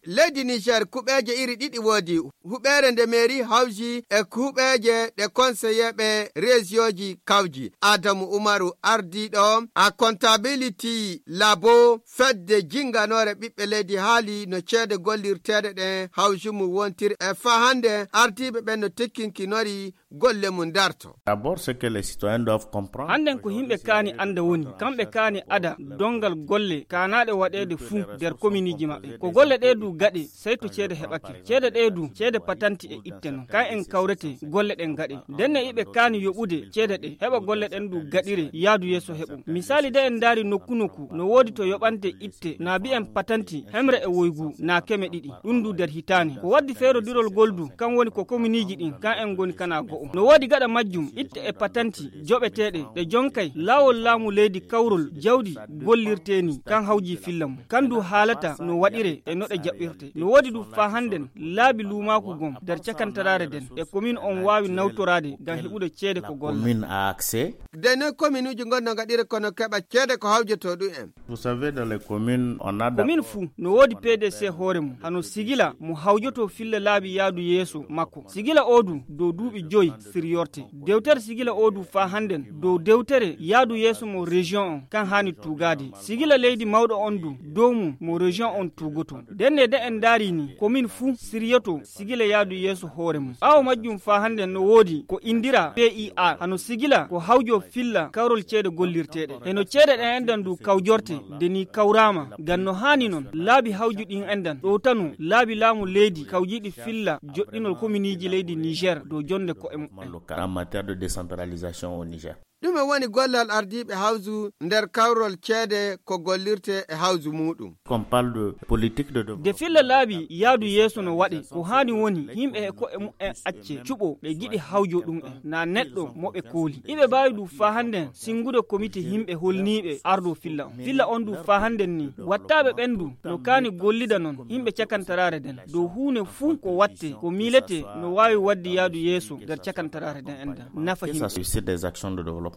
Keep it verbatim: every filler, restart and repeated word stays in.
Leydi Niger kuɓeeje iri ɗiɗi woodi, huɓeere nde mairie hawji e huɓeeje ɗe konseyeeɓe reesiyooji kawji. Adamu Umaru, ardiiɗo a comptability labo fedde jinganoore ɓiɓɓe leydi, haali no ceede gollirteeɗe ɗen hawji mum wontiri e faa hannde ardiiɓe ɓen no tikkinkinori golle mum darto. D'abord, ce que les citoyens doivent comprendre. Hannden ko yimɓe kaani annda woni, kamɓe kaani ada donngal golle kaanaaɗe waɗeede fuu nder kominiiji maɓɓe. Ko golle ɗee du gaɗe, sey to ceede heɓake. Ceede ɗee du, ceede patanti e itte non. Kan en kawrete golle ɗen gaɗe. Ndenne iɓe kaani yoɓude ceede ɗe, heɓa golle ɗen du gaɗire yaadu yeeso heɓo. Misaali de en ndaari nokku nokku, no woodi to yoɓante itte, naa bi'en patanti, hemre e woygu, naa keme ɗiɗi. Ɗum du nder hitaande. Ko waddi feerodirol ngol du, kan woni ko kominiiji ɗin, kan en ngoni kana go'o. No woodi gaɗa majjum, itte e patanti, joɓeteeɗe, ɗe jonkay, laawol laamu leydi kawrol, jawdi, gollirtee ni, kan hawji filla mum. Kan du haalata no waɗiree e no ɗe jaɓɓirtee. No woodi du faa hannden, laabi luumaaku gon, nder cakantaraare nden, e komin on waawi nawtoraade ngam heɓude ceede ko golla. Commune a accès. Ndenne kominuuji ngon no ngaɗira kono keɓa ceede ko hawjotoo ɗum en. Vous savez, dans les communes, on a d'abord. Komin fuu no woodi P D C hoore mum, hano sigila mo hawjotoo filla laabi yaadu yeeso makko. Sigila oo du dow duuɓi joy siryorte. Dewtere sigila oo du faa hannden dow dewtere yaadu yeeso mo région on, kan haani tuugaade. Sigila leydi mawɗo on du dow mum mo région on tuugotoo. Ndenne de en ndaari ni, komin fuu siryoto sigila yaadu yeeso hoore mum. Ɓaawo majjum faa hannden no woodi ko indiraa P I R, hano sigila ko hawjoo filla kawrol ceede gollirteeɗe. Heno ceede ɗen enɗan du kawjorte, nde ni kawraama, ngam no haani non, laabi hawju ɗin enɗan ɗowtano laabi laamu leydi kawjiiɗi filla joɗɗinol kominiiji leydi Niger dow jonnde ko'e mumen. Local en matière de décentralisation au Niger. Ɗume woni gollal ardiiɓe hawju nder kawrol ceede ko gollirtee e hawju muuɗum? Qu'on parle de politique de développement. Nde filla laabi yaadu yeeso no waɗe, ko haani woni yimɓe e ko'e mumen acce cuɓo ɓe giɗi hawjo ɗum en, naa neɗɗo mo ɓe kooli. Iɓe mbaawi ɗum faa hannden sinngude komite yimɓe holniiɓe ardoo filla on. Filla on ɗum faa hannden ni, wattaaɓe ɓen ɗum no kaani gollida non yimɓe cakantaraare nden. Dow huunde fuu ko wattee, ko miiletee no waawi waɗde yaadu yeeso nder cakantaraare nden enɗan. Nafa yimɓe. Ça suscite des actions de développement.